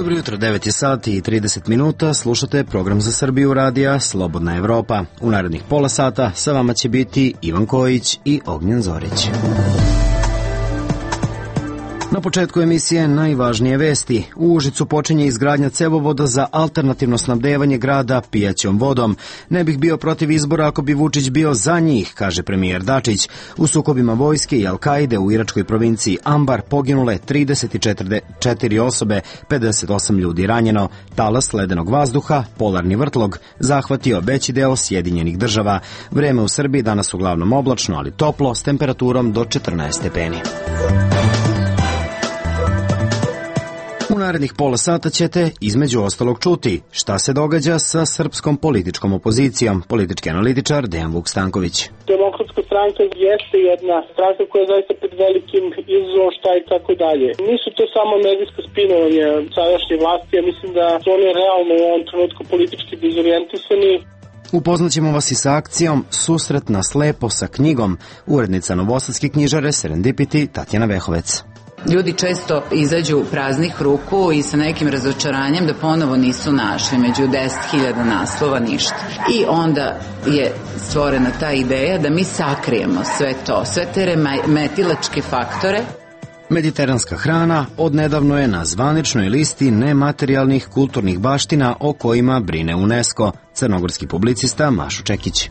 Dobro jutro, 9 je sati i 30 minuta, slušate program za Srbiju radija Slobodna Evropa. U narednih pola sata sa vama će biti Ivan Kojić i Ognjen Zorić. Na početku emisije najvažnije vesti. U Užicu počinje izgradnja cevovoda za alternativno snabdevanje grada pijaćom vodom. Ne bih bio protiv izbora ako bi Vučić bio za njih, kaže premijer Dačić. U sukobima vojske i Al-Kaide u iračkoj provinciji Ambar poginule 34 osobe, 58 ljudi ranjeno. Talas ledenog vazduha, polarni vrtlog, zahvatio veći deo Sjedinjenih država. Vreme u Srbiji danas uglavnom oblačno, ali toplo, s temperaturom do 14 stepeni. U narednih pola sata ćete, između ostalog, čuti šta se događa sa srpskom političkom opozicijom. Politički analitičar Dejan Vuk-Stanković. Demokratska stranka jeste jedna stranka koja je zaista pred velikim izazovom, šta i tako dalje. Nisu to samo medijsko spinovanje sadašnje vlasti, ja mislim da su oni realno u ovom trenutku politički dezorijentisani. Upoznaćemo vas i sa akcijom Susret na slepo sa knjigom. Urednica novosadske knjižare Serendipity Tatjana Vehovec. Ljudi često izađu praznih ruku i sa nekim razočaranjem da ponovo nisu našli među 10.000 naslova ništa. I onda je stvorena ta ideja da mi sakrijemo sve to, sve te remetilačke faktore. Mediteranska hrana odnedavno je na zvaničnoj listi nematerijalnih kulturnih baština o kojima brine UNESCO. Crnogorski publicista Mašo Čekić.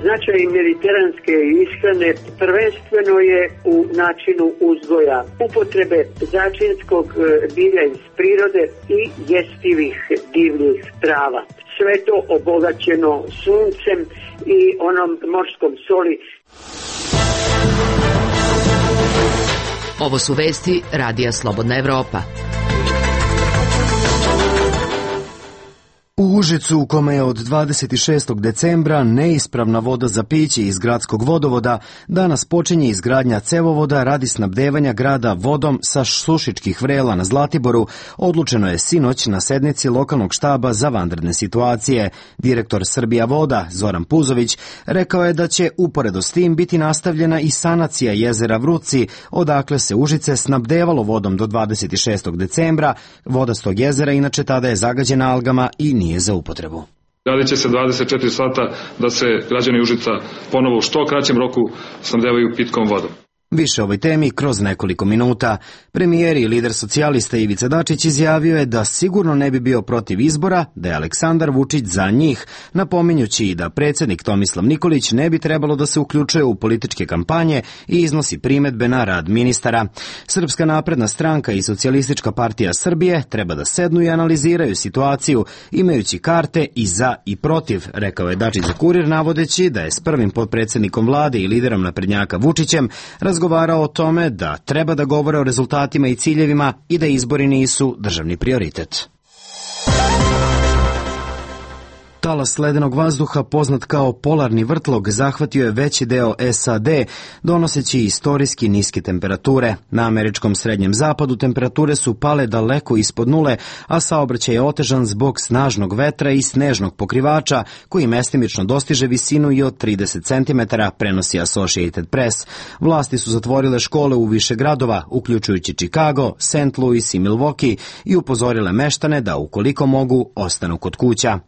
Značaj mediteranske ishrane prvenstveno je u načinu uzgoja, upotrebe začinskog bilja iz prirode i jestivih divljih trava. Sve to obogaćeno suncem i onom morskom soli. Ovo su vesti Radija Slobodna Evropa. U Užicu, u kome je od 26. decembra neispravna voda za piće iz gradskog vodovoda, danas počinje izgradnja cevovoda radi snabdevanja grada vodom sa Sušičkih vrela na Zlatiboru. Odlučeno je sinoć na sednici lokalnog štaba za vanredne situacije. Direktor Srbija voda, Zoran Puzović, rekao je da će uporedo s tim biti nastavljena i sanacija jezera Vruci, odakle se Užice snabdevalo vodom do 26. decembra. Voda s tog jezera inače tada je zagađena algama i nije za upotrebu. Radit će se 24 sata da se građani Užica ponovo u što kraćem roku snabdevaju pitkom vodom. Više o ovoj temi kroz nekoliko minuta. Premijer i lider socijalista Ivica Dačić izjavio je da sigurno ne bi bio protiv izbora, da je Aleksandar Vučić za njih, napominjući i da predsjednik Tomislav Nikolić ne bi trebalo da se uključuje u političke kampanje i iznosi primedbe na rad ministara. Srpska napredna stranka i Socijalistička partija Srbije treba da sednu i analiziraju situaciju, imajući karte i za i protiv, rekao je Dačić za Kurir, navodeći da je s prvim potpredsjednikom vlade i liderom naprednjaka Vučićem razgovarao o tome da treba da govore o rezultatima i ciljevima i da izbori nisu državni prioritet. Talas ledenog vazduha, poznat kao polarni vrtlog, zahvatio je veći deo SAD, donoseći istorijski niske temperature. Na američkom srednjem zapadu temperature su pale daleko ispod nule, a saobraćaj je otežan zbog snažnog vetra i snežnog pokrivača, koji mestimično dostiže visinu i od 30 cm, prenosi Associated Press. Vlasti su zatvorile škole u više gradova, uključujući Chicago, St. Louis i Milwaukee, i upozorile meštane da, ukoliko mogu, ostanu kod kuća.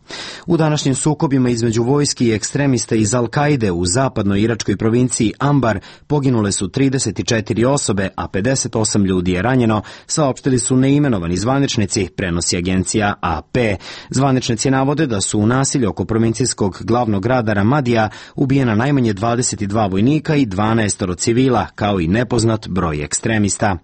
U današnjim sukobima između vojski i ekstremista iz Al-Kaide u zapadnoj iračkoj provinciji Ambar poginule su 34 osobe, a 58 ljudi je ranjeno, saopštili su neimenovani zvaničnici, prenosi agencija AP. Zvaničnici navode da su u nasilju oko provincijskog glavnog grada Ramadija ubijena najmanje 22 vojnika i 12 civila, kao i nepoznat broj ekstremista.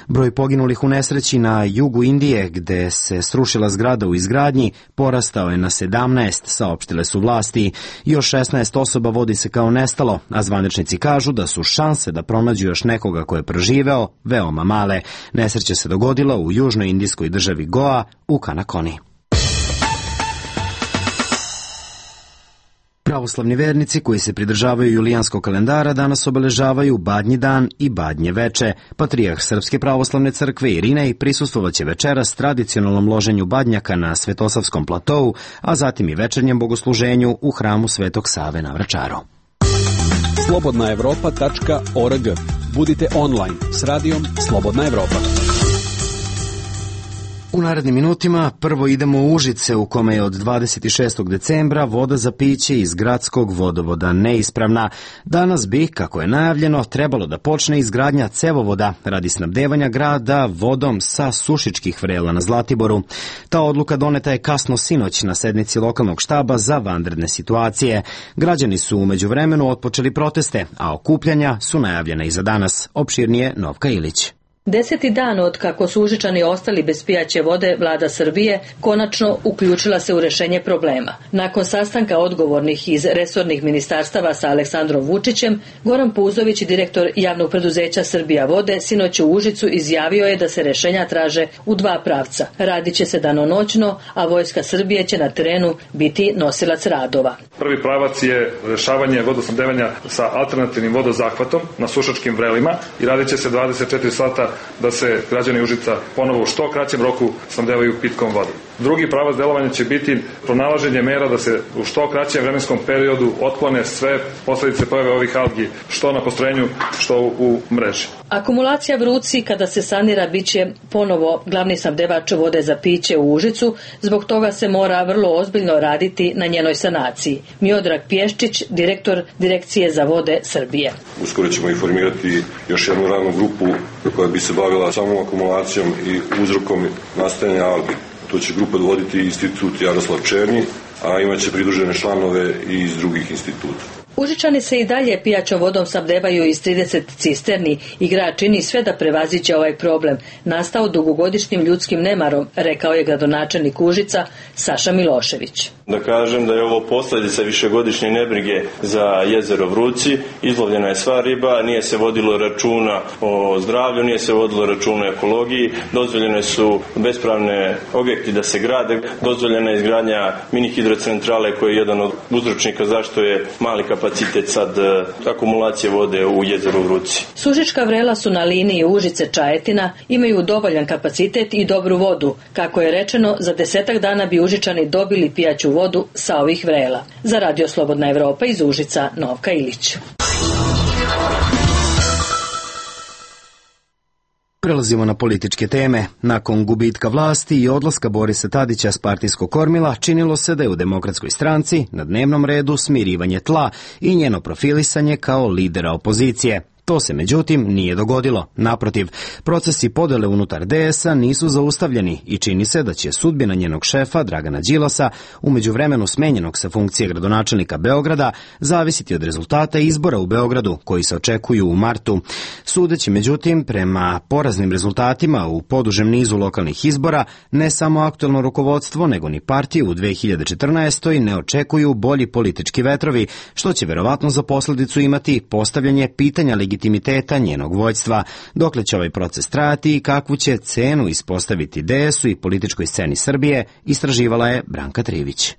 Broj poginulih u nesreći na jugu Indije, gde se srušila zgrada u izgradnji, porastao je na 17, saopštile su vlasti. Još 16 osoba vodi se kao nestalo, a zvaničnici kažu da su šanse da pronađu još nekoga ko je preživeo veoma male. Nesreća se dogodila u južnoj indijskoj državi Goa u Kanakoni. Pravoslavni vernici koji se pridržavaju julijanskog kalendara danas obeležavaju Badnji dan i Badnje veče. Patrijarh Srpske pravoslavne crkve Irinej prisustvovaće večeras tradicionalnom loženju badnjaka na Svetosavskom platou, a zatim i večernjem bogosluženju u hramu Svetog Save na Vračaru. slobodnaevropa.org. Budite online s radijom Slobodna Evropa. U narednim minutima prvo idemo u Užice u kome je od 26. decembra voda za piće iz gradskog vodovoda neispravna. Danas bi, kako je najavljeno, trebalo da počne izgradnja cevovoda radi snabdevanja grada vodom sa Sušičkih vrela na Zlatiboru. Ta odluka doneta je kasno sinoć na sednici lokalnog štaba za vanredne situacije. Građani su u međuvremenu otpočeli proteste, a okupljanja su najavljena i za danas. Opširnije Novka Ilić. 10. dan od kako su Užičani ostali bez pijaće vode, vlada Srbije konačno uključila se u rešenje problema. Nakon sastanka odgovornih iz resornih ministarstava sa Aleksandrom Vučićem, Goran Puzović, direktor javnog preduzeća Srbija vode, sinoć u Užicu izjavio je da se rešenja traže u dva pravca. Radit će se danonoćno, a Vojska Srbije će na terenu biti nosilac radova. Prvi pravac je rešavanje vodosnabdevanja sa alternativnim vodozahvatom na Sušačkim vrelima i radit će se 24 sata da se građani Užica ponovo u što kraćem roku snabdevaju pitkom vodom. Drugi pravac delovanja će biti pronalaženje mera da se u što kraćem vremenskom periodu otklone sve posledice pojave ovih algi, što na postrojenju, što u mreži. Akumulacija Vruci, kada se sanira, biće ponovo glavni snabdevač vode za piće u Užicu, zbog toga se mora vrlo ozbiljno raditi na njenoj sanaciji. Miodrag Pješčić, direktor Direkcije za vode Srbije. Uskoro ćemo informirati još jednu radnu grupu koja bi se bavila samom akumulacijom i uzrokom nastajanja algi. To će grupa voditi institut Jaroslav Černi, a imaće pridružene članove i iz drugih instituta. Užičani se i dalje pijaćom vodom snabdevaju iz 30 cisterni i grad čini sve da prevaziđe ovaj problem, nastao dugogodišnjim ljudskim nemarom, rekao je gradonačelnik Užica Saša Milošević. Da kažem da je ovo posljedica višegodišnje nebrige za jezero Vruci, izlovljena je sva riba, nije se vodilo računa o zdravlju, nije se vodilo računa o ekologiji, dozvoljene su bespravne objekti da se grade, dozvoljena je izgradnja mini hidrocentrale koji je jedan od uzročnika zašto je mali kapacitet sad akumulacije vode u jezeru Vruci. Sušička vrela su na liniji Užice-Čajetina, imaju dovoljan kapacitet i dobru vodu. Kako je rečeno, za 10 dana bi Užičani dobili pijaću vodu sa ovih vrela. Za Radio Slobodna Evropa iz Užica, Novka Ilić. Prelazimo na političke teme. Nakon gubitka vlasti i odlaska Borisa Tadića s partijskog kormila, činilo se da je u Demokratskoj stranci na dnevnom redu smirivanje tla i njeno profilisanje kao lidera opozicije. To se, međutim, nije dogodilo. Naprotiv, procesi podele unutar DS-a nisu zaustavljeni i čini se da će sudbina njenog šefa, Dragana Đilasa, u međuvremenu smenjenog sa funkcije gradonačelnika Beograda, zavisiti od rezultata izbora u Beogradu, koji se očekuju u martu. Sudeći, međutim, prema poraznim rezultatima u podužem nizu lokalnih izbora, ne samo aktuelno rukovodstvo, nego ni partije u 2014. ne očekuju bolji politički vetrovi, što će verovatno za posledicu imati postavljanje pitanja legitimiteta njenog vođstva, dokle će ovaj proces trajati i kakvu će cenu ispostaviti DS-u i političkoj sceni Srbije, istraživala je Branka Trivić.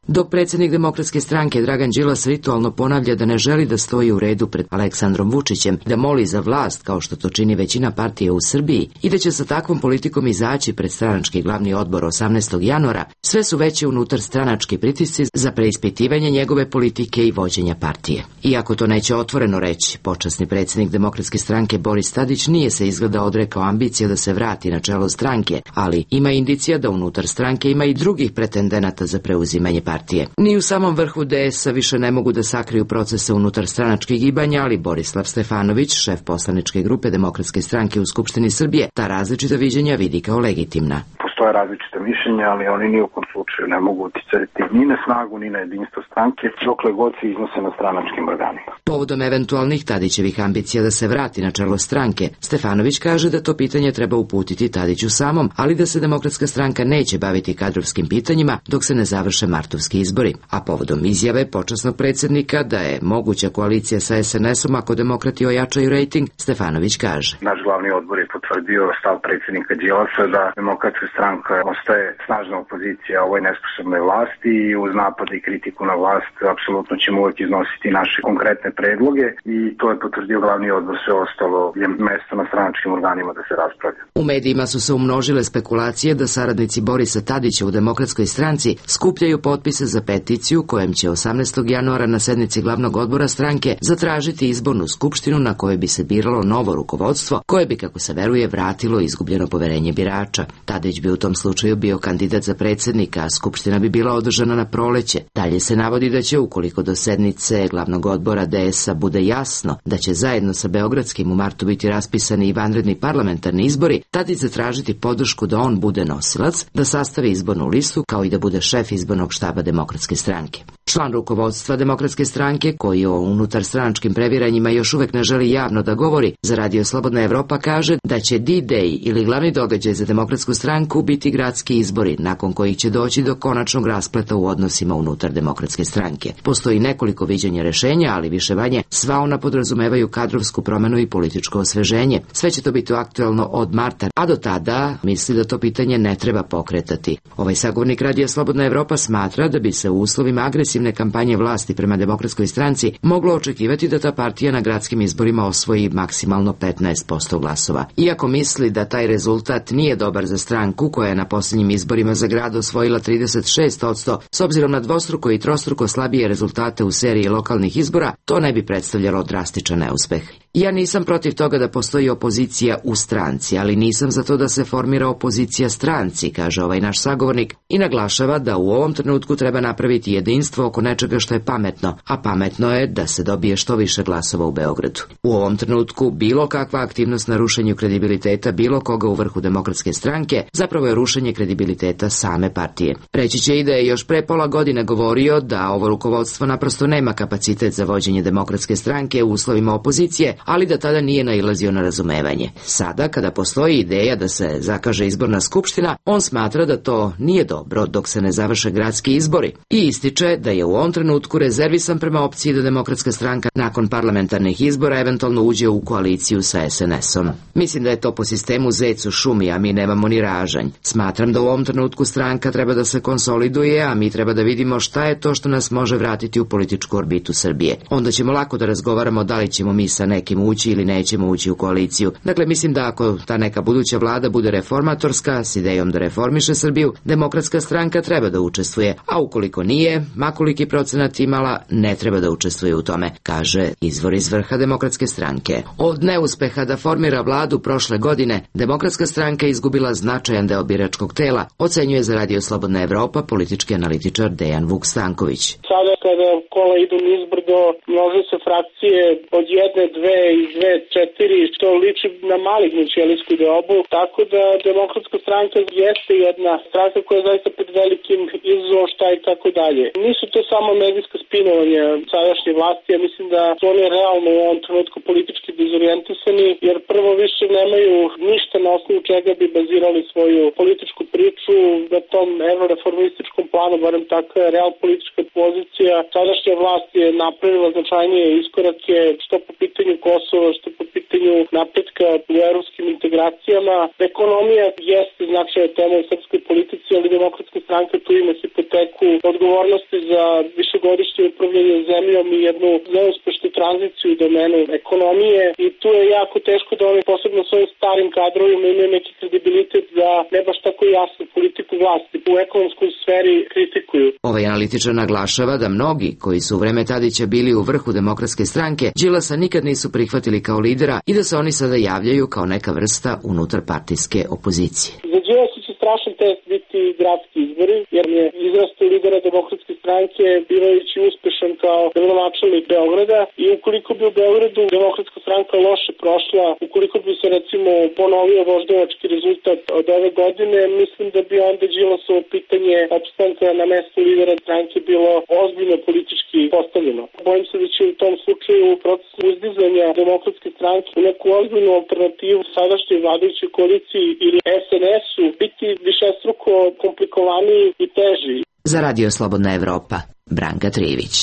Dok predsjednik Demokratske stranke Dragan Đilas ritualno ponavlja da ne želi da stoji u redu pred Aleksandrom Vučićem, da moli za vlast kao što to čini većina partije u Srbiji i da će sa takvom politikom izaći pred stranački glavni odbor 18. januara, sve su veće unutar stranački pritisci za preispitivanje njegove politike i vođenja partije. Iako to neće otvoreno reći, počasni predsjednik Demokratske stranke Boris Tadić nije se izgleda odrekao ambicije da se vrati na čelo stranke, ali ima indicija da unutar stranke ima i drugih pretendenata za preuzimanje partije. Ni u samom vrhu DS-a više ne mogu da sakriju procese unutar stranačkih gibanja, ali Borislav Stefanović, šef poslaničke grupe Demokratske stranke u Skupštini Srbije, ta različita viđenja vidi kao legitimna. Postoje različite mišljenja, ali oni ni u kom slučaju ne mogu uticati ni na snagu, ni na jedinstvo stranke, dokle god se iznose na stranačkim organima. Povodom eventualnih Tadićevih ambicija da se vrati na čelo stranke, Stefanović kaže da to pitanje treba uputiti Tadiću samom, ali da se Demokratska stranka neće baviti kadrovskim pitanjima dok se ne završe martovski izbori. A povodom izjave počasnog predsjednika da je moguća koalicija sa SNS-om ako demokrati ojačaju rejting, Stefanović kaže: Naš glavni odbor je potvrdio stav predsjednika Đilasa da Demokratska stranka ostaje snažna opozicija ovoj ovoj nesposobnoj vlasti i uz napade i kritiku na vlast apsolutno ćemo uvek iznositi naše konkretne predloge i to je potvrdio glavni odbor, sve ostalo je mesto na stranačkim organima da se raspravlja. U medijima su se umnožile spekulacije da saradnici Borisa Tadića u Demokratskoj stranci skupljaju potpise za peticiju kojem će 18. januara na sednici glavnog odbora stranke zatražiti izbornu skupštinu na kojoj bi se biralo novo rukovodstvo koje bi, kako se veruje, vratilo izgubljeno poverenje birača. Tadić bi u tom slučaju bio kandidat za predsjednika, a skupština bi bila održana na proleće. Dalje se navodi da će, ukoliko do sednice glavnog odbora DS-a bude jasno da će zajedno sa Beogradskim u martu biti raspisani i vanredni parlamentarni izbori, Tadić zatražiti podršku da on bude nosilac, da sastavi izbornu listu kao i da bude šef izbornog štaba Demokratske stranke. Član rukovodstva Demokratske stranke, koji o unutarstranačkim previranjima još uvek ne želi javno da govori, za Radio Slobodna Evropa kaže da će D-Day ili glavni događaj za Demokratsku stranku biti gradski izbori, nakon kojih će doći do konačnog raspleta u odnosima unutar Demokratske stranke. Postoji nekoliko viđenja rešenja, ali više manje sva ona podrazumevaju kadrovsku promenu i političko osveženje. Sve će to biti aktuelno od marta, a do tada misli da to pitanje ne treba pokretati. Ovaj sagovornik Radio Slobodna Evropa smatra da bi se u uslovima agresivne kampanje vlasti prema Demokratskoj stranci moglo očekivati da ta partija na gradskim izborima osvoji maksimalno 15% glasova. Iako misli da taj rezultat nije dobar za stranku koja je na posljednjim izborima za grad osvojila 36%, s obzirom na dvostruko i trostruko slabije rezultate u seriji lokalnih izbora, to ne bi predstavljalo drastičan neuspeh. Ja nisam protiv toga da postoji opozicija u stranci, ali nisam za to da se formira opozicija stranci, kaže ovaj naš sagovornik i naglašava da u ovom trenutku treba napraviti jedinstvo oko nečega što je pametno, a pametno je da se dobije što više glasova u Beogradu. U ovom trenutku bilo kakva aktivnost na rušenju kredibiliteta bilo koga u vrhu Demokratske stranke zapravo je rušenje kredibiliteta same partije. Reći će i da je još pre pola godine govorio da ovo rukovodstvo naprosto nema kapacitet za vođenje Demokratske stranke u uslovima opozicije, ali da tada nije nailazio na razumevanje. Sada, kada postoji ideja da se zakaže izborna skupština, on smatra da to nije dobro dok se ne završe gradski izbori i ističe da je u ovom trenutku rezervisan prema opciji da Demokratska stranka nakon parlamentarnih izbora eventualno uđe u koaliciju sa SNS-om. Mislim da je to po sistemu zec u šumi, a mi nemamo ni ražanj. Smatram da u ovom trenutku stranka treba da se konsoliduje, a mi treba da vidimo šta je to što nas može vratiti u političku orbitu Srbije. Onda ćemo lako da razgovaramo da li ćemo mi sa nekim ući ili nećemo ući u koaliciju. Dakle, mislim da ako ta neka buduća vlada bude reformatorska, s idejom da reformiše Srbiju, Demokratska stranka treba da učestvuje, a ukoliko nije, makoliki procenat imala, ne treba da učestvuje u tome, kaže izvor iz vrha Demokratske stranke. Od neuspeha da formira vladu prošle godine, Demokratska stranka je izgubila značajan deo biračkog tela, ocenjuje za Radio Slobodna Evropa politički analitičar Dejan Vuk Stanković. Sada kada kola idu nizbrdo, množe se frakcije od 1, 2 i 2, 4, što liči na malignu ćelijsku deobu, tako da Demokratska stranka jeste jedna stranka koja je zaista pred velikim izazovom šta i tako dalje. Nisu to samo medijska spinovanja sadašnje vlasti, ja mislim da su oni realno u ovom trenutku politički dezorijentisani, jer prvo više nemaju ništa na osnovu čega bi bazirali svoju političku priču na tom evroreformističkom planu, barem takva je real politička pozicija. Sadašnja vlast je napravila značajnije iskorake što po pitanju Kosova, što po pitanju napretka u evropskim integracijama. Ekonomija jeste značajna tema u srpskoj politici, ali Demokratska stranka tu ima hipoteku odgovornosti za višegodišnje upravljanje zemljom i jednu neuspešnu tranziciju u domenu ekonomije i tu je jako teško da oni posebno svojim starim kadrovima imaju neki kredibilitet da ne baš tako jasnu politiku vlasti u ekonomskoj sferi kritikuju. Ovaj analitičar naglašava da mnogi koji su u vreme Tadića bili u vrhu Demokratske stranke Đilasa nikad nisu prihvatili kao lidera i da se oni sada javljaju kao neka vrsta unutarpartijske opozicije. Za Đilasa će strašan test biti gradski izbori, jer je izrastao lidera Demokratske stranke bivajući uspešan kao gradonačelnik Beograda i ukoliko bi u Beogradu Demokratska stranka loše prošla, ukoliko bi se recimo ponovio voždovački rezultat od ove godine, mislim da bi onda Đilasovo pitanje opstanka na mestu lidera stranke bilo ozbiljno politički postavljeno. Bojim se da će u tom slučaju proces uzdizanja Demokratske stranke u neku ozbiljnu alternativu sadašnjoj vladajućoj koaliciji ili SNS-u biti višestruko komplikovaniji i teži. Za Radio Slobodna Evropa, Branka Trivić.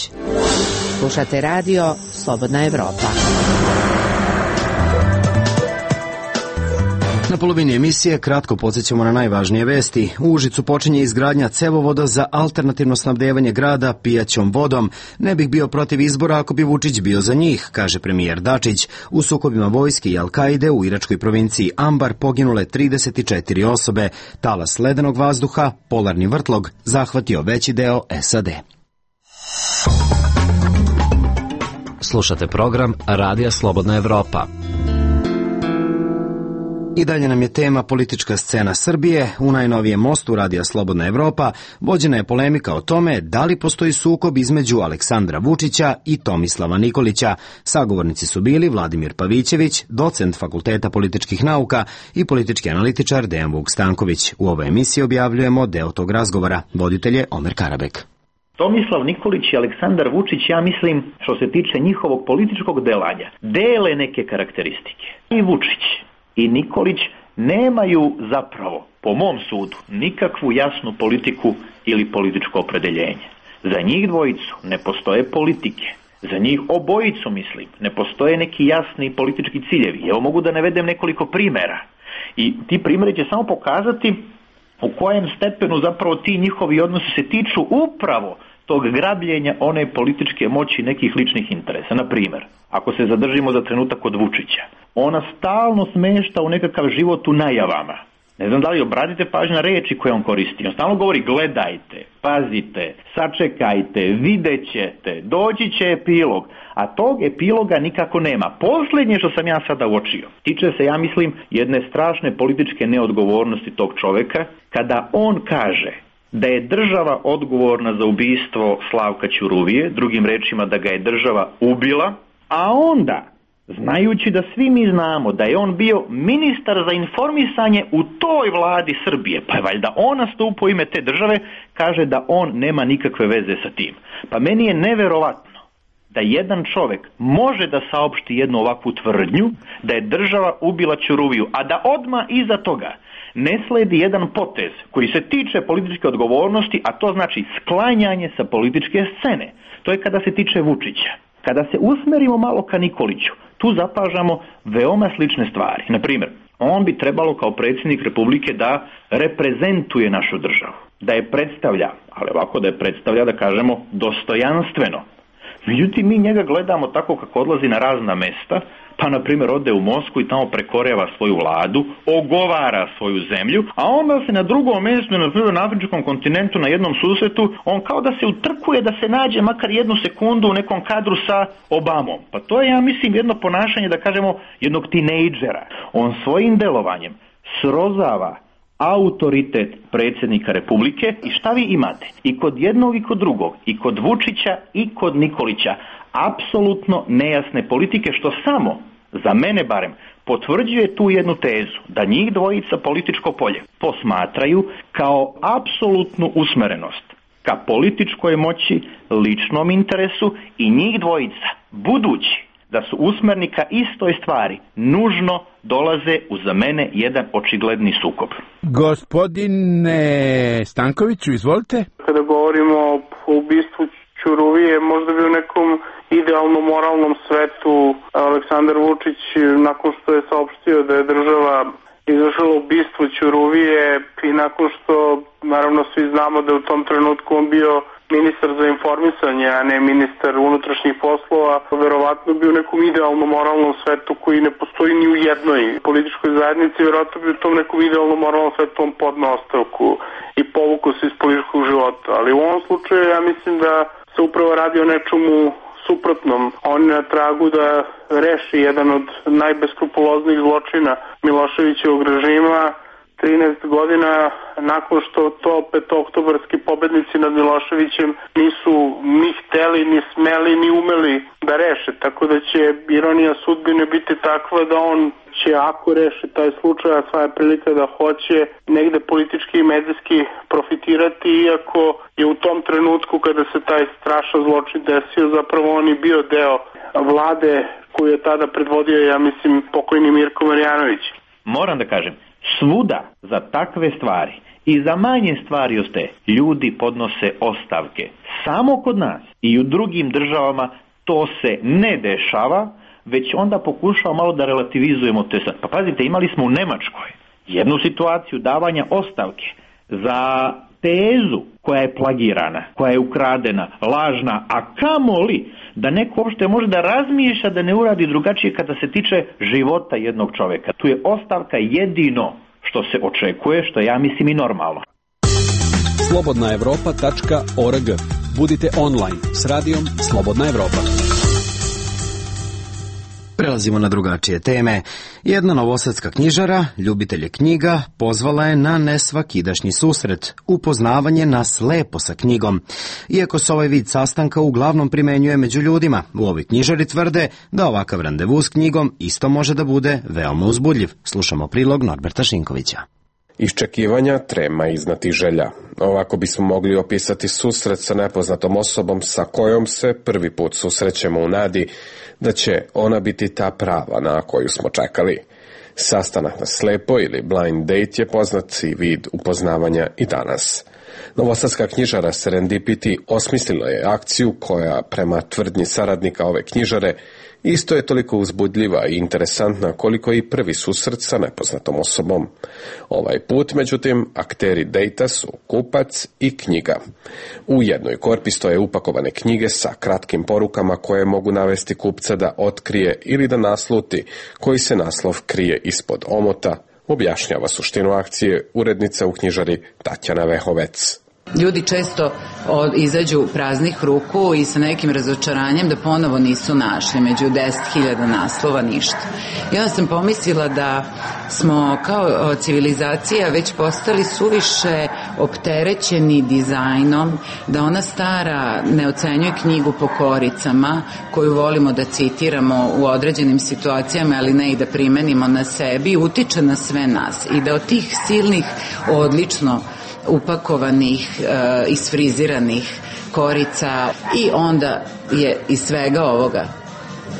Slušate Radio Slobodna Evropa. Na polovini emisije kratko podsjećamo na najvažnije vesti. U Užicu počinje izgradnja cevovoda za alternativno snabdevanje grada pijaćom vodom. Ne bih bio protiv izbora ako bi Vučić bio za njih, kaže premijer Dačić. U sukobima vojske i Al-Kaide u iračkoj provinciji Ambar poginule 34 osobe. Talas ledenog vazduha, polarni vrtlog, zahvatio veći deo SAD. Slušate program Radija Slobodna Evropa. I dalje nam je tema politička scena Srbije. U najnovijem mostu Radija Slobodna Evropa vođena je polemika o tome da li postoji sukob između Aleksandra Vučića i Tomislava Nikolića. Sagovornici su bili Vladimir Pavićević, docent Fakulteta političkih nauka i politički analitičar Dejan Vuk Stanković. U ovoj emisiji objavljujemo deo tog razgovora. Voditelj je Omer Karabek. Tomislav Nikolić i Aleksandar Vučić, ja mislim, što se tiče njihovog političkog delanja, dele neke karakteristike. I Vučić i Nikolić nemaju zapravo, po mom sudu, nikakvu jasnu politiku ili političko opredeljenje. Za njih dvojicu ne postoje politike. Za njih obojicu, mislim, ne postoje neki jasni politički ciljevi. Evo mogu da navedem nekoliko primjera. I ti primjeri će samo pokazati u kojem stepenu zapravo ti njihovi odnosi se tiču upravo tog grabljenja one političke moći nekih ličnih interesa. Na primjer, ako se zadržimo za trenutak kod Vučića, ona stalno smešta u nekakav život u najavama. Ne znam da li obratite pažnju na reči koje on koristi. On stalno govori gledajte, pazite, sačekajte, vidjet ćete, doći će epilog. A tog epiloga nikako nema. Posljednje što sam ja sada uočio tiče se, ja mislim, jedne strašne političke neodgovornosti tog čoveka, kada on kaže da je država odgovorna za ubistvo Slavka Ćuruvije, drugim rečima da ga je država ubila, a onda, znajući da svi mi znamo da je on bio ministar za informisanje u toj vladi Srbije, pa je valjda on nastupao u ime te države, kaže da on nema nikakve veze sa tim. Pa meni je neverovatno da jedan čovjek može da saopšti jednu ovakvu tvrdnju da je država ubila Ćuruviju, a da odmah iza toga ne sledi jedan potez koji se tiče političke odgovornosti, a to znači sklanjanje sa političke scene. To je kada se tiče Vučića. Kada se usmerimo malo ka Nikoliću, tu zapažamo veoma slične stvari. Na primjer, on bi trebalo kao predsjednik Republike da reprezentuje našu državu, da je predstavlja, ali ovako da je predstavlja, da kažemo, dostojanstveno. Međutim, mi njega gledamo tako kako odlazi na razna mesta, pa na primjer ode u Moskvu i tamo prekoreva svoju vladu, ogovara svoju zemlju, a onda se na drugom mjestu, na primjer na afričkom kontinentu, na jednom susretu, on kao da se utrkuje da se nađe makar jednu sekundu u nekom kadru sa Obamom. Pa to je, ja mislim, jedno ponašanje, da kažemo, jednog tinejdžera. On svojim delovanjem srozava autoritet predsjednika Republike i šta vi imate? I kod jednog i kod drugog, i kod Vučića i kod Nikolića, apsolutno nejasne politike, što samo, za mene barem, potvrđuje tu jednu tezu, da njih dvojica političko polje posmatraju kao apsolutnu usmerenost ka političkoj moći, ličnom interesu, i njih dvojica, budući da su usmereni ka istoj stvari, nužno dolaze u, za mene, jedan očigledni sukob. Gospodine Stankoviću, izvolite. Kada govorimo o ubistvu Ćuruvije, možda bi u nekom idealnom moralnom svetu Aleksandar Vučić, nakon što je saopštio da je država izvršila ubistvo Ćuruvije i nakon što, naravno, svi znamo da je u tom trenutku on bio ministar za informisanje, a ne ministar unutrašnjih poslova, verovatno bi u nekom idealnom moralnom svetu koji ne postoji ni u jednoj političkoj zajednici, verovatno bi u tom nekom idealnom moralnom svetu on podneo ostavku i povukao se iz političkog života. Ali u ovom slučaju ja mislim da se upravo radi o nečemu suprotnom. On je na tragu da reši jedan od najbeskrupuloznijih zločina Miloševićevog režima, 13 godina nakon što to petooktobarski pobednici nad Miloševićem nisu ni hteli, ni smeli, ni umeli da reše. Tako da će ironija sudbine biti takva da on će, ako reši taj slučaj, a sva je prilika da hoće, negde politički i medijski profitirati, iako je u tom trenutku kada se taj strašan zločin desio, zapravo on i bio deo vlade koju je tada predvodio, ja mislim, pokojni Mirko Marjanović. Moram da kažem, svuda za takve stvari i za manje stvari od te ljudi podnose ostavke. Samo kod nas i u drugim državama to se ne dešava, već onda pokušava malo da relativizujemo te sad. Pa pazite, imali smo u Nemačkoj jednu situaciju davanja ostavke za tezu koja je plagirana, koja je ukradena, lažna, a kamoli da neko uopšte može da razmišlja da ne uradi drugačije kada se tiče života jednog čoveka. Tu je ostavka jedino što se očekuje, što ja mislim i normalno. slobodnaevropa.org. Budite online s radijom Slobodna Evropa. Prelazimo na drugačije teme. Jedna novosadska knjižara, ljubitelje knjiga, pozvala je na nesvakidašnji susret, upoznavanje nas lepo sa knjigom. Iako se ovaj vid sastanka uglavnom primenjuje među ljudima, u ovoj knjižari tvrde da ovakav randevu s knjigom isto može da bude veoma uzbudljiv. Slušamo prilog Norberta Šinkovića. Iščekivanja, trema iznad želja. Ovako bismo mogli opisati susret sa nepoznatom osobom sa kojom se prvi put susrećemo u nadi da će ona biti ta prava na koju smo čekali. Sastanak na slepo ili blind date je poznati vid upoznavanja i danas. Novosadska knjižara Serendipity osmislila je akciju koja, prema tvrdnji saradnika ove knjižare, isto je toliko uzbudljiva i interesantna koliko i prvi susret sa nepoznatom osobom. Ovaj put, međutim, akteri dejta su kupac i knjiga. U jednoj korpi stoje upakovane knjige sa kratkim porukama koje mogu navesti kupca da otkrije ili da nasluti koji se naslov krije ispod omota, objašnjava suštinu akcije urednica u knjižari Tatjana Vehovec. Ljudi često izađu praznih ruku i sa nekim razočaranjem da ponovo nisu našli među 10.000 naslova ništa. I onda sam pomislila da smo kao civilizacija već postali suviše opterećeni dizajnom, da ona stara ne ocenjuje knjigu po koricama koju volimo da citiramo u određenim situacijama, ali ne i da primenimo na sebi, utiče na sve nas i da od tih silnih odlično upakovanih, isfriziranih korica i onda je iz svega ovoga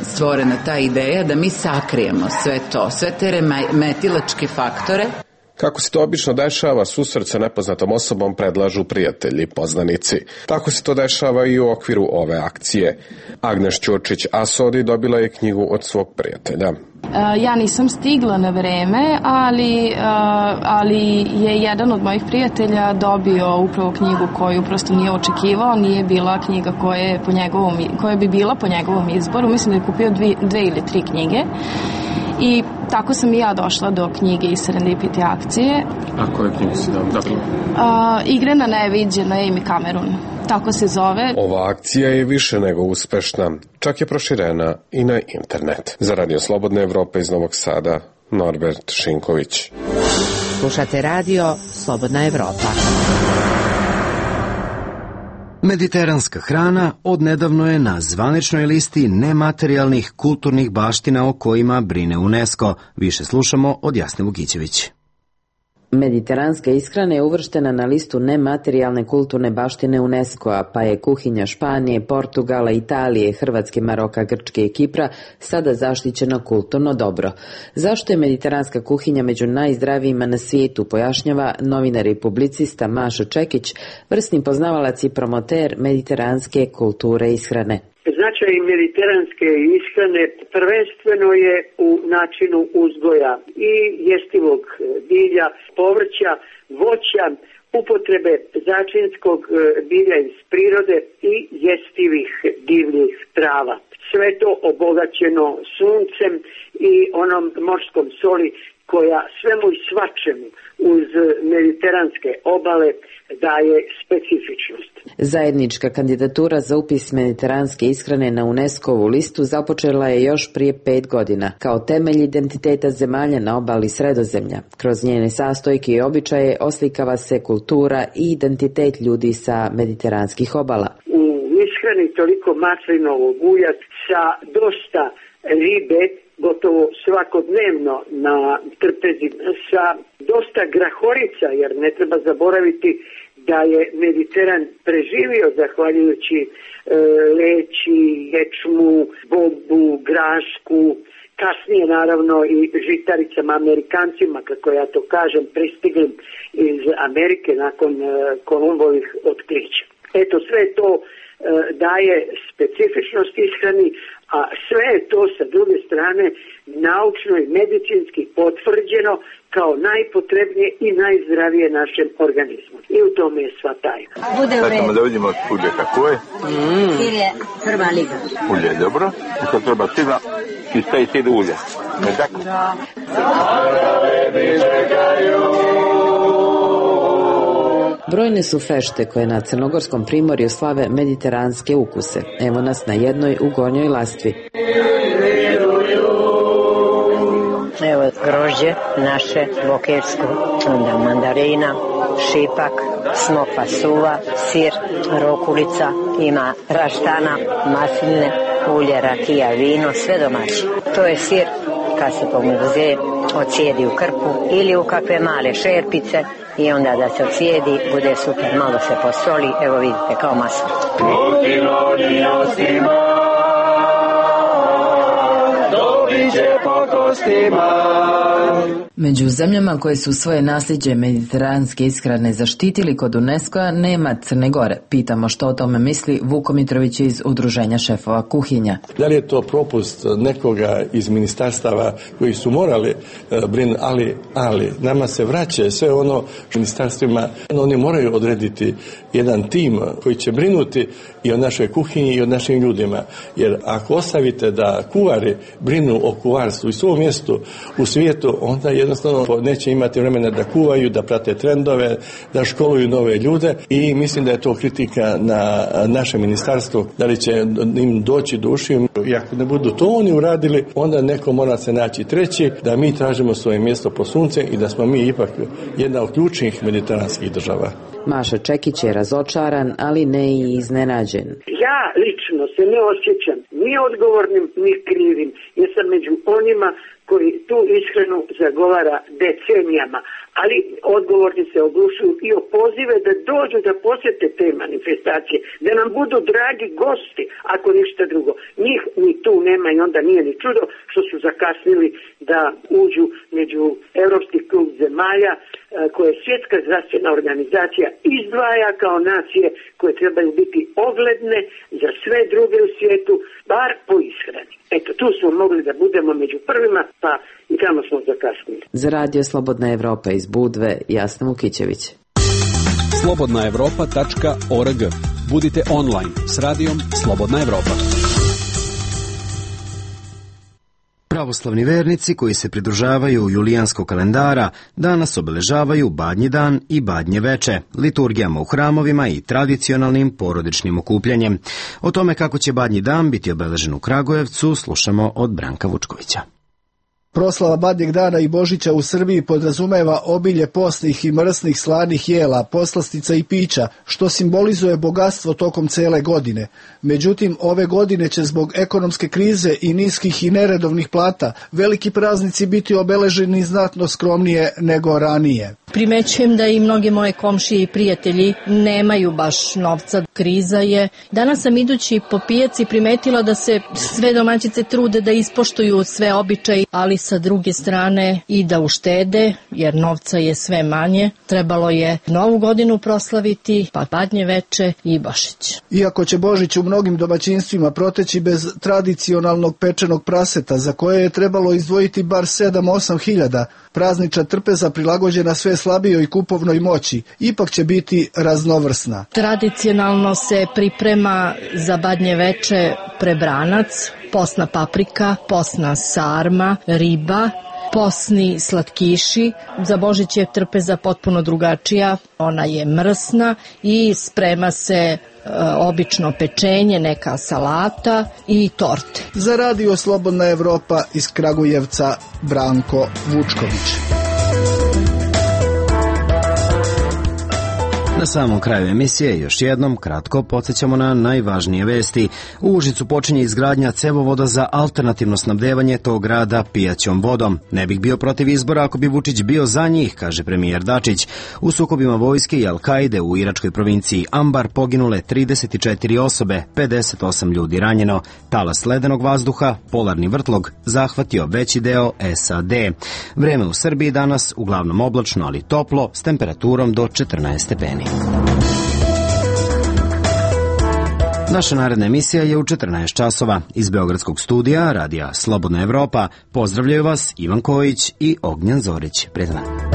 stvorena ta ideja da mi sakrijemo sve to, sve te remetilačke faktore. Kako se to obično dešava, susret sa nepoznatom osobom predlažu prijatelji, poznanici. Tako se to dešava i u okviru ove akcije. Agnes Ćurčić-Asodi dobila je knjigu od svog prijatelja. Ja nisam stigla na vreme, ali je jedan od mojih prijatelja dobio upravo knjigu koju prosto nije očekivao, nije bila knjiga koja bi bila po njegovom izboru. Mislim da je kupio 2 ili 3 knjige. I tako sam i ja došla do knjige iz Serendipity akcije. A koje knjige si dobila? Igre na neviđeno, Amy Cameron. Tako se zove. Ova akcija je više nego uspešna, čak je proširena i na internet. Za Radio Slobodne Evrope iz Novog Sada, Norbert Šinković. Slušate radio Slobodna Evropa. Mediteranska hrana odnedavno je na zvaničnoj listi nematerijalnih kulturnih baština o kojima brine UNESCO. Više slušamo od Jasne Vukićević. Mediteranska ishrana je uvrštena na listu nematerijalne kulturne baštine UNESCO-a, pa je kuhinja Španije, Portugala, Italije, Hrvatske, Maroka, Grčke i Kipra sada zaštićeno kulturno dobro. Zašto je mediteranska kuhinja među najzdravijima na svijetu, pojašnjava novinar i publicista Mašo Čekić, vrsni poznavalac i promoter mediteranske kulture ishrane. Značaj mediteranske ishrane prvenstveno je u načinu uzgoja i jestivog bilja, povrća, voća, upotrebe začinskog bilja iz prirode i jestivih divljih trava. Sve to obogaćeno suncem i onom morskom soli koja svemu i svačemu uz mediteranske obale daje specifičnost. Zajednička kandidatura za upis mediteranske ishrane na UNESCO-vu listu započela je još prije 5 godina, kao temelj identiteta zemalja na obali Sredozemlja. Kroz njene sastojke i običaje oslikava se kultura i identitet ljudi sa mediteranskih obala. U ishrani toliko maslinovog ulja sa dosta ribe, gotovo svakodnevno na trpezi, sa dosta grahorica, jer ne treba zaboraviti da je Mediteran preživio zahvaljujući leći, ječmu, bobu, grašku, kasnije naravno i žitaricama, Amerikancima, kako ja to kažem, pristiglim iz Amerike nakon Kolumbovih otkrića. Eto, sve to daje specifičnost ishrani, a sve je to sa druge strane naučno i medicinski potvrđeno kao najpotrebnije i najzdravije našem organizmu. I u tome je sva tajna. Sad ćemo da vidimo ulje kako je. Sir je prva liga. Ulje je dobro. I sad treba sira i stavi sir ulje. Ne tako? Da. Brojne su fešte koje na crnogorskom primorju slave mediteranske ukuse. Evo nas na jednoj u Gornjoj Lastvi. Evo grožđe naše bokersko, onda mandarina, šipak, smoka suva, sir, rokulica, ima raštana, masline, ulje, rakija, vino, sve domaće. To je sir kad se pomrze, ocijedi u krpu ili u kakve male šerpice i onda da se ocijedi, bude super, malo se posoli, evo vidite kao maslo. Među zemljama koje su svoje nasljeđe mediteranske ishrane zaštitili kod UNESCO-a nema Crne Gore. Pitamo što o tome misli Vuko Mitrović iz Udruženja šefova kuhinja. Da li je to propust nekoga iz ministarstava koji su morali brinuti, ali nama se vraća sve ono ministarstvima, oni moraju odrediti jedan tim koji će brinuti i o našoj kuhinji i o našim ljudima. Jer ako ostavite da kuvari brinu o kuvarstvu i svom mjestu u svijetu, onda jednostavno neće imati vremena da kuvaju, da prate trendove, da školuju nove ljude i mislim da je to kritika na naše ministarstvo, da li će im doći do ušiju. I ako ne budu to oni uradili, onda neko mora se naći treći, da mi tražimo svoje mjesto po sunce i da smo mi ipak jedna od ključnih mediteranskih država. Maša Čekić je razočaran, ali ne i iznenađen. Ja lično se ne osjećam ni odgovornim, ni krivim, jer sam među onima koji tu ishranu zagovara decenijama, ali odgovorni se oglušuju i o pozive da dođu da posjete te manifestacije, da nam budu dragi gosti, ako ništa drugo. Njih ni tu nema i onda nije ni čudo što su zakasnili da uđu među Europski klub zemalja koje Svjetska zdravstvena organizacija izdvaja kao nacije koje trebaju biti ogledne za sve druge u svijetu, bar po ishrani. Eto, tu smo mogli da budemo među prvima, pa i tamo smo zakasnili. Za Radio Slobodna Evropa iz Budve, Jasna Vukićević. slobodnaevropa.org. Budite online s radijom Slobodna Evropa. Pravoslavni vernici koji se pridružavaju julijanskog kalendara danas obeležavaju Badnji dan i Badnje veče, liturgijama u hramovima i tradicionalnim porodičnim okupljanjem. O tome kako će Badnji dan biti obeležen u Kragujevcu slušamo od Branka Vučkovića. Proslava Badnjeg dana i Božića u Srbiji podrazumeva obilje postnih i mrsnih slanih jela, poslastica i pića, što simbolizuje bogatstvo tokom cele godine. Međutim, ove godine će zbog ekonomske krize i niskih i neredovnih plata veliki praznici biti obeleženi znatno skromnije nego ranije. Primećujem da i mnoge moje komšije i prijatelji nemaju baš novca. Kriza je. Danas sam idući po pijaci primetila da se sve domaćice trude da ispoštuju sve običaje, ali sa druge strane i da uštede, jer novca je sve manje. Trebalo je Novu godinu proslaviti, pa Badnje veče i Božić. Iako će Božić u mnogim domaćinstvima proteći bez tradicionalnog pečenog praseta, za koje je trebalo izdvojiti bar 7-8 hiljada, praznična trpeza prilagođena sve slabijoj kupovnoj moći, ipak će biti raznovrsna. Tradicionalno se priprema za Badnje veče prebranac, posna paprika, posna sarma, riba, posni slatkiši. Za Božić je trpeza potpuno drugačija, ona je mrsna i sprema se obično pečenje, neka salata i torte. Za Radio Slobodna Evropa iz Kragujevca, Branko Vučković. Na samom kraju emisije još jednom kratko podsjećamo na najvažnije vesti. U Užicu počinje izgradnja cevovoda za alternativno snabdevanje tog grada pijaćom vodom. Ne bih bio protiv izbora ako bi Vučić bio za njih, kaže premijer Dačić. U sukobima vojske i Al-Kaide u iračkoj provinciji Ambar poginule 34 osobe, 58 ljudi ranjeno. Talas ledenog vazduha, polarni vrtlog, zahvatio veći deo SAD. Vreme u Srbiji danas uglavnom oblačno, ali toplo, s temperaturom do 14 stepeni. Naša naredna emisija je u 14 časova. Iz Beogradskog studija Radija Slobodna Evropa pozdravljaju vas Ivan Kojić i Ognjan Zorić. Prijatno.